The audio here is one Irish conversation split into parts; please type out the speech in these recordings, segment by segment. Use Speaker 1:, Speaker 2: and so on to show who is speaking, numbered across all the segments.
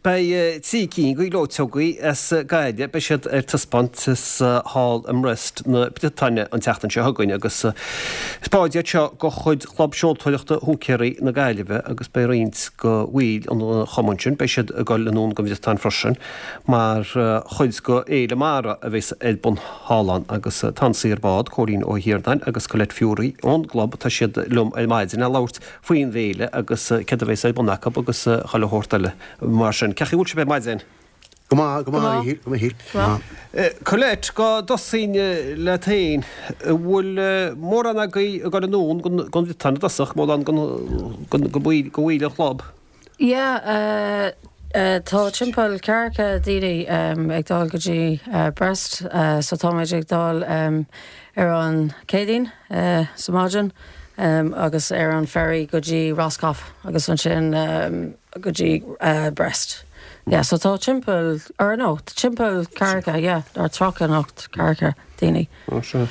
Speaker 1: Beidh 3 cinn de ghleoiteogaí as Gaillimh, beidh siad ar taispeáint thall i mBrest na Briotáine an tseachtain seo chugainn agus is báid iad seo de chuid Chlub Seoltóireachta Húicéirí na Gaillimhe agus beidh roinnt de bhaill an chumainn sin, beidh siad ag dul anonn don Bhriotáin freisin mar chuid de Fhéile Mara a bheas ar bun thall ann agus tá an saor bád, Cóilín Ó hIarnáin agus Colette Furey ón gclub, tá siad liom ar maidin le labhairt faoin bhféile agus céard a bheas ar bun acu agus chuile shórt eile mar sin. Cén chaoi a bhfuil sibh ar maidin?
Speaker 2: Go maith, go maith, a Mhíchíl, go maith, go
Speaker 1: maith. Colette, go dtosóinn leat féin, an bhfuil mórán agaibh ag dul anonn don Bhriotáin i dtosach, mórán de bhaill an chlub?
Speaker 3: Yeah, tá timpeall ceathracha daoine ag dul go dtí Brest, so táimid ag dul ar an Céadaoin sa maidin agus ar an ferry go dtí Roscoff agus ansin go dtí Brest. Yeah, so tá timpeall, or no, timpeall ceathracha, yeah, or 30 nó ceathracha daoine.
Speaker 1: Ó sea.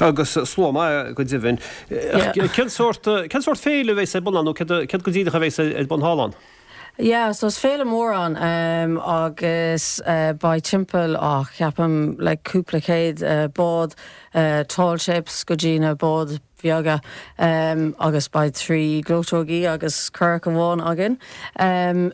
Speaker 1: Agus slua maith go deimhin. Yeah. Cén sórt, cén sórt féile a bheas ar bun ann nó céard, céard go díreach a bheas ar bun thall ann?
Speaker 3: Yeah, so is féile mór ann agus beidh timpeall, ah, ceapaim like cúpla céad bád, tall ships go dtí na báid bheaga agus beidh 3 gleoiteogaí agus curach amháin againn.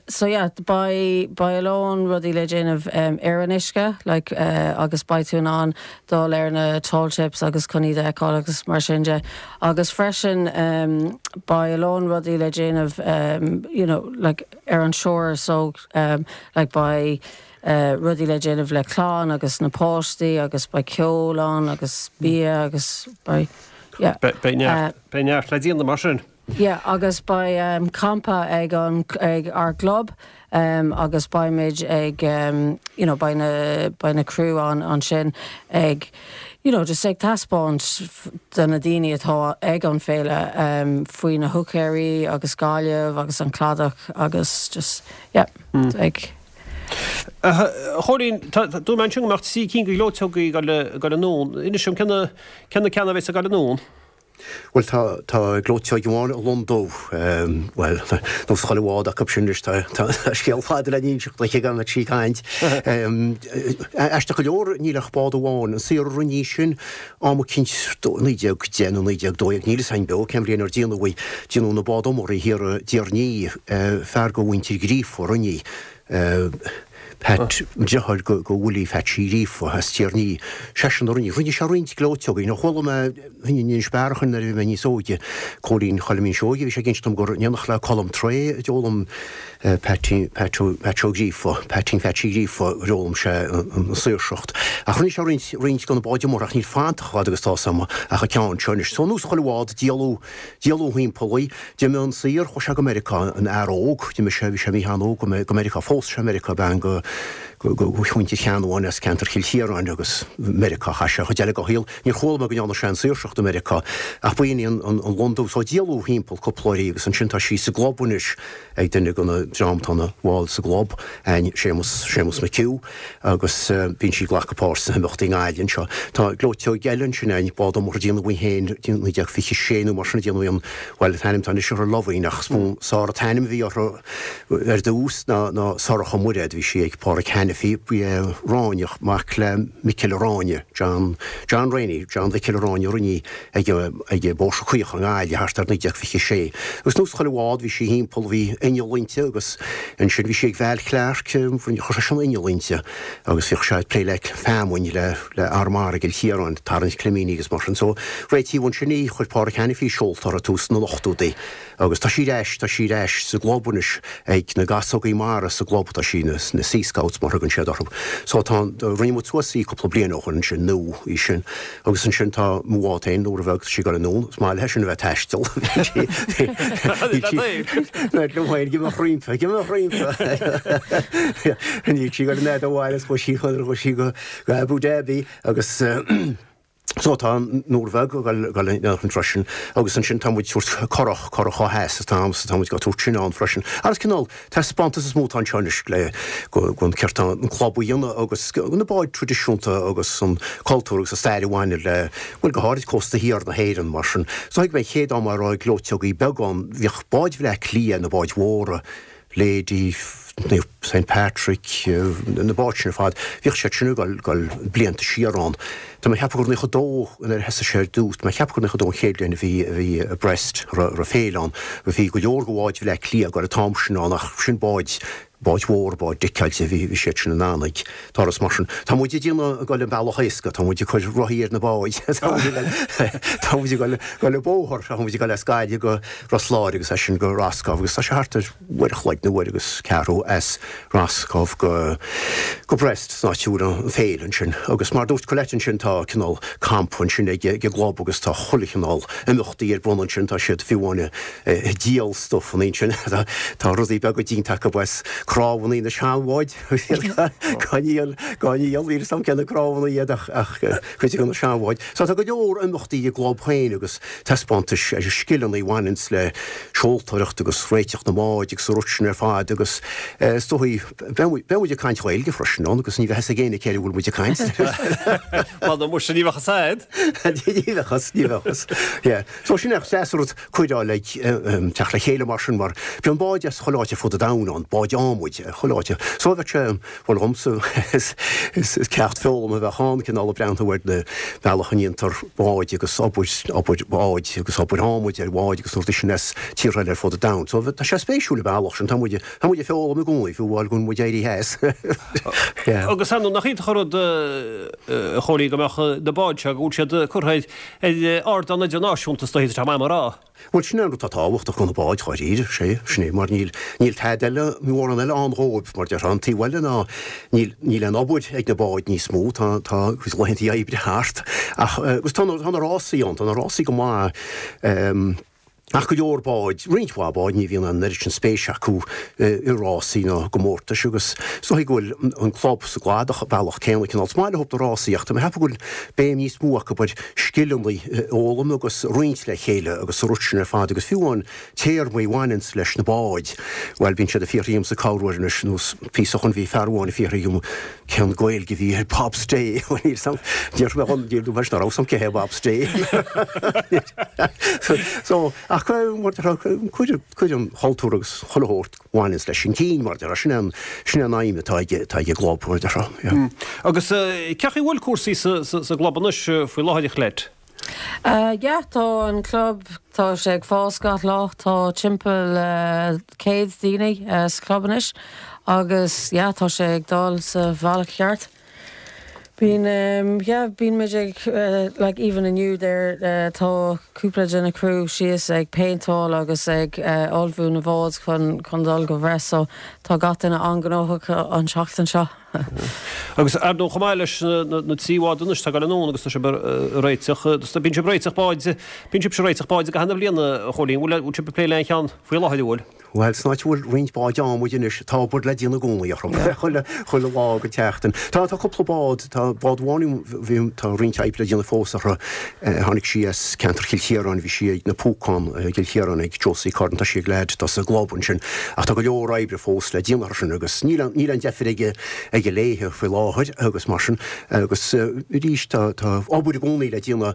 Speaker 3: So yeah, beidh, beidh a lán rudaí le déanamh ar an uisce like agus beidh tú in ann dul ar na tall ships agus chun iad a fheiceáil agus mar sin de. Agus freisin beidh a lán rudaí le déanamh you know like ar an shore so like beidh rudaí le déanamh le clann agus na páistí agus beidh ceol ann agus bia agus beidh yeah.
Speaker 1: Beidh neart, beidh neart le déanamh mar sin.
Speaker 3: Yeah agus beidh campa ag an, ag ár gclub agus beimid ag you know beidh na, beidh na crew ann ansin ag you know just ag taispeáint do na daoine atá ag an féile faoi na húicéirí agus Gaillimh agus an cladach agus just yeah ag.
Speaker 1: A Chóilín, dúirt mé ansin go mbeadh 3 cinn de ghleoiteogaí ag dul anonn. Inis dom cé na ceanna a bheas ag dul anonn?
Speaker 2: Bhuel, tá, tá gleoiteog amháin, an Lon Dubh, bhuel, nós chuile bhád acu sin anois, tá, tá scéal fada le n-inseacht aici gan sí ag caint. Aisteach go leor, níl ach bád amháin, an saor a rinne í sin, am eicínt 1910 nó 1912, níl fhios a'inn beo cén bhliain ar déanadh í, déanadh na bád iomartha thiar i dTír an Fhia, fear go mhuintir Ghríofa a rinne í. Pat, deartháir go Willie Phatsy Ghríofa as Tír an Fhia, seisean a rinne, rinne sé roinnt gleoiteogaí, nó chuala mé in Inis Bearachain nuair a bhí mé níos óige, Cóilín Choilm Seoige, bhí sé ag inse dom gur in éineacht le Colm Tray a d'fhoghlaim Patsy, Pat, Pat Ó Gríofa, Patsy Phatsy Ghríofa, gur fhoghlaim sé an saoirseacht. Ach rinne sé roinnt, roinnt de na báid iomartha ach níl fanta chomh fada agus tá 's a'm ach an ceann seo anois. So nós chuile bhád, díoladh, díoladh thimpeall í. D'imigh an saor, chuaigh sé go Meiriceá, an fhear óg, d'imigh sé, bhí sé míchean óg go Meiriceá, phós sé i Meiriceá bean go, go, go mhuintir Cheannabháin as ceantar Chill Chiaráin agus Meiriceá a chaith sé an chuid eile dá shaol. Níor chuala mé go ndearna sé an saoirseacht i Meiriceá ach b'in í an, an, an Lon Dubh. So díoladh thimpeall cúpla uair í agus ansin tá sí sa gclub anois ag duine de na dream atá ina bhall sa gclub, Séamus, Séamus McHugh. agus bíonn sí ag glacadh páirt sna himeachtaí i nGaillimh anseo. Tá gleoiteog eile ansin againn, bád iomartha a déanadh í féin i 1926 nó mar sin a déanadh í an, bhuel, an t-ainm atá anois uirthi Loveen ach is mó Sár an t-ainm a bhí uirthi ar dtús ná ná Sorcha Muiréad, bhí sí ag Páraic Hanniffy, ba é Ráinneach, mac le Micil Ráinne, John, John Rainey, John Mhicil Ráinne a rinne í ag ag Bóithre Caoch i nGaillimh thart ar 1926. Agus nós chuile bhád bhí sí thimpeall, bhí inneall inti agus ansin bhí sí ag Val Clarke, chuir seisean inneall inti agus bhíodh sé ag plé le feamainn le le Armara i gCill Chiaráin, tarraingt climíní agus mar sin. So réitíodh ansin í, chuir Páraic Hanniffy seolta uirthi tús na n-ochtóidí agus tá sí ar ais, tá sí ar ais sa gclub anois ag na gasógaí mara sa gclub, tá sí na Sea Scouts mar a thugann siad orthu. So tá, rinne muid suas í cúpla bliain ó shin ansin, nó í sin. Agus ansin tá mo bhád féin, Nóra Bheag, tá sí ag dul anonn, is maith léi sin a bheith ag taisteal. Liom féin, ag imeacht roimpi, ag imeacht roimpi. Níl sí ag dul an fhad ó bhaile, is chuaigh sí, chuaigh sí go Abu Dhabi agus so tá Nóra Bheag ag dul ann freisin agus ansin tá muid ag tabhairt curach, curach ó theas is tá tá muid ag tabhairt sin ann freisin. Agus cineál Taispeántas is mó atá anseo anois le go an céard atá an club a dhéanamh agus na báid traidisiúnta agus an cultúr agus an stair a bhaineann le, bhuel go háirid cósta thiar na hÉireann mar sin. So thuig mé an chéad am a raibh gleoiteogaí beaga ann, bhíodh báid Bhleá Cliath, na báid mhóra, Lady. Naomh Saint Patrick, na báid sin ar fad, bhíodh siad sin ag dul, dul blianta siar ann. Tá mé ag ceapadh gur 92 nuair a thosaigh sé ar dtús, tá mé ag ceapadh gur 92 an chéad bhliain a bhí, a bhí i Brest, a raibh, a raibh féile ann. Bhí go leor de bháid Bhaile Átha Cliath ag dul an t-am sin ann ach sin báid, báid mhóra, báid deiceáilte, bhí, bhí siad sin in ann ag turas mar sin. Tá muid ag déanamh ag dul an bealach éasca, tá muid ag cur rothaí ar na báid, tá muid ag dul, tá muid ag dul, dul an bóthar, tá muid ag dul as Gaillimh go Ros Láir agus as sin go Roscoff agus tá sé thart ar uair a chloig nó uair agus ceathrú as Roscoff go go Brest san áit a bhfuil an féile ansin. Agus mar a dúirt Colette ansin tá cineál campa ansin ag ag an gclub agus tá chuile chineál imeachtaí ar bun ansin, tá siad fiú amháin ag díol stuff ansin, tá rudaí beaga déanta acu as cnámhanna na seanbháid. Gan iall, gan iall, níl 'fhios a'm cé na cnámhanna iad ach, ach cuid de na seanbháid. So tá go leor imeachtaí ag an gclub féin agus taispeántais ar scileanna a bhaineanns le seoltóireacht agus réiteach na mbád agus an rud sin ar fad agus is dóigh, beidh muid, beidh muid ag caint Ghaeilge freisin ann agus ní bheidh 'fhios ag éinne cé a bhfuil muid ag caint.
Speaker 1: Bhuel, muise ní bheadh 'fhios a'd.
Speaker 2: Ní bheadh 'fhios, ní bheadh 'fhios. Yeah. So sin é, is deas an rud cuireadh le teacht le chéile mar sin mar bíonn báid as chuile áit ar fud an domhain ann, báid adhmaid, chuile áit. So bheadh sé, bhuel dhomsa, is ceacht foghlama a bheadh ann, cineál ag breathnú ar na bealach a ndéantar báid agus obair, obair bháid agus obair adhmaid ar bháid agus na rudaí sin as tíortha eile ar fud an domhain. So tá sé spéisiúil an bealach sin, tá muid, tá muid ag foghlaim i gcónaí, fiú amháin go bhfuil muid éirithe as.
Speaker 1: Yeah. Agus ar ndóigh, nach iontach an rud, a Chóilín, go mbeadh na báid seo, go bhfuil siad curtha ar, Ar ardán idirnáisiúnta is dóichí, tá sé maith mar rá.
Speaker 2: Bhuel, sin é an rud atá tábhachtach do na báid, dháiríre, sé, sin é, mar níl, níl tada eile, mórán eile ann dhóibh, mar déarfá. An taobh eile ná, níl, níl aon obair ag na báid níos mó, tá, tá a gcuid laethanta oibre thart, ach, agus tá na, tá na rásaí ann, tá na rásaí go maith, Ach go leor báid, roinnt mhaith báid, ní bhíonn an oiread sin spéise acu i rásaí ná i gcomórtais agus is dóigh go bhfuil an club sa gcladach an bealach céanna cineál. Is maith leo na rásaí ach tá mé ag ceapadh go bhfuil béim níos mó acu ar scileanna a fhoghlaim agus roinnt le chéile agus an rud sin ar fad agus fiú amháin téarmaí a bhaineanns leis na báid, bhuel bíonn siad ag fiafraí dhíomsa corruair anois nós píosa ó shoin bhí fear amháin ag fiafraí dhíom Cén Gaeilge a bhí ar bobstay? Bhuel níl 'fhios a'm, déarfaidh mé dhom, níl dúirt nach raibh 'fhios a'm cé hé bobstay. So, ach mar a déarfá, cuir, cuir an chultúr agus chuile shórt a bhaineanns leis chun cinn, mar a déarfá, sin é an, sin é an aidhm atá ag, atá ag an gclub, mar a déarfá,
Speaker 1: yeah. Agus cén chaoi a bhfuil cúrsaí sa, sa, sa gclub anois faoi láthair, a Cholette?
Speaker 3: Yeah, tá an club, tá sé ag fás gach lá, tá timpeall 100 daoine sa chlub anois agus yeah, tá sé ag dul sa bhealach cheart. Bíonn, yeah, bíonn muid ag, like even inniu there, tá cúpla de na crew síos ag péinteáil agus ag ullmhú na bhád chun, chun dul go Brest so tá gach duine an-ghnóthach an tseachtain seo.
Speaker 1: Agus ar ndóigh chomh maith leis na 3 bhád anois atá ag dul anonn agus tá sibh ag réiteach, bíonn sibh ag réiteach báid, bíonn sibhse ag réiteach báid i gcaitheamh na bliana, a Chóilín, bhfuil bhfuil sibh ag plé le aon cheann faoi láthair, an bhfuil?
Speaker 2: Bhuel, san áit a bhfuil roinnt báid adhmaid anois, tá obair le déanamh i gcónaí orthu, chuile, chuile lá den tseachtain. Tá, tá cúpla bád, tá bád amháin, bhí, tá roinnt oibre le déanamh fós orthu, tháinig sí as ceantar Chill Chiaráin, bhí sí ag na Púcán i gCill Chiaráin ag Josie Curran, tá sí ag leaid atá sa gclub ansin, ach tá go leor oibre fós le déanamh orthu sin agus níl níl aon deifir aige aige léithe faoi láthair agus mar sin agus arís tá tá obair i gcónaí le déanamh.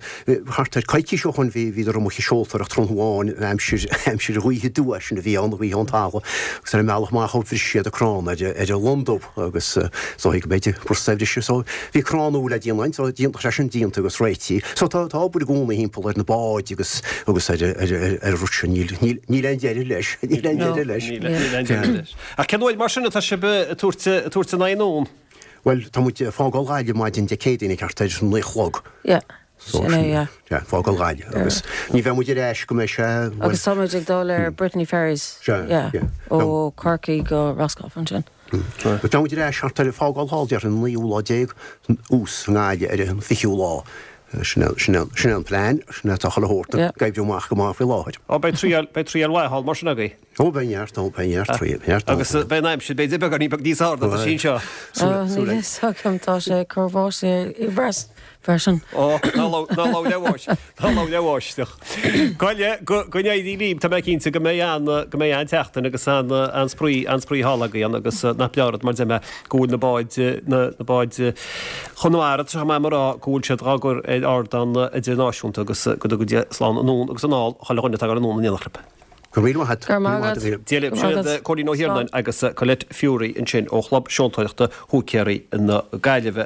Speaker 2: Thart ar coicís ó shoin bhí bhíodar amuigh ag seoltóireacht tráthnóna amháin aimsir aimsir ghaoithe aduaidh sin a bhí ann, gaoth ón talamh agus ar an mbealach amach ó bhris siad an crann ar ar an Londubh agus is dóigh go mb'fhéidir b'fhurasta a bhriseadh so bhí crann nua le déanamh ann so tá sé sin déanta agus réitithe. So tá tá obair i gcónaí thimpeall ar na báid agus agus ar ar ar ar an rud sin níl níl níl aon deireadh leis níl aon deireadh leis.
Speaker 1: Níl níl aon deireadh leis. Ach cén uair mar sin atá sibh ag tabhairt ag tabhairt a n-aghaidh anonn?
Speaker 2: Bhuel tá muid ag fágáil Ghaillimh maidin Dé Céadaoin thart ar a naoi a chlog.
Speaker 3: Yeah. So sin é yeah.
Speaker 2: Yeah, fágáil Ghaillimh agus ní bheidh muid ar ais go mbeidh sé
Speaker 3: bhuel Agus tá muid ag dul ar Brittany Ferries.
Speaker 2: Sea,
Speaker 3: yeah. Yeah. Ó Corcaigh go Roscoff ansin.
Speaker 2: Beidh muid ar ais thart ar fágáil thall déarfainn an naoú lá déag thuas i nGaillimh ar an fichiú lá. Sin é, sin é, sin é an plean, sin é atá chuile shórt ag oibriú amach go maith faoi láthair.
Speaker 1: Ó beidh triail, beidh triail mhaith thall mar sin agaibh.
Speaker 2: Ó beidh neart ann, beidh neart, beidh neart
Speaker 1: ann. Agus beidh an aimsir b'fhéidir beagáinín beag níos fearr ná tá sí anseo.
Speaker 3: Ó níl fhios agam, tá sé ag cur báistí i Brest freisin.
Speaker 1: Ó, ná labhair le báisteach, ná labhair le báisteach. Gabh go, go n-éirí libh, tá mé cinnte go mbeidh an, go mbeidh an-tseachtain agus an, an-spraoi, an-spraoi thall agaibh ann agus nach breá an rud mar deir mé go bhfuil na báid, na, na báid Chonamara, tá sé chomh maith mar rá go bhfuil siad dhá gcur ar ardán idirnáisiúnta agus go dtuga Dia slán anonn agus anall chuile dhuine atá ag dul anonn in éineacht libh.
Speaker 2: Go raibh míle maith agat.
Speaker 3: Go raibh maith agat.
Speaker 1: Dia libh. Sin iad Cóilín Ó hIarnáin agus Colette Furey ansin ó Chlub Seoltóireachta Húicéirí na Gaillimhe.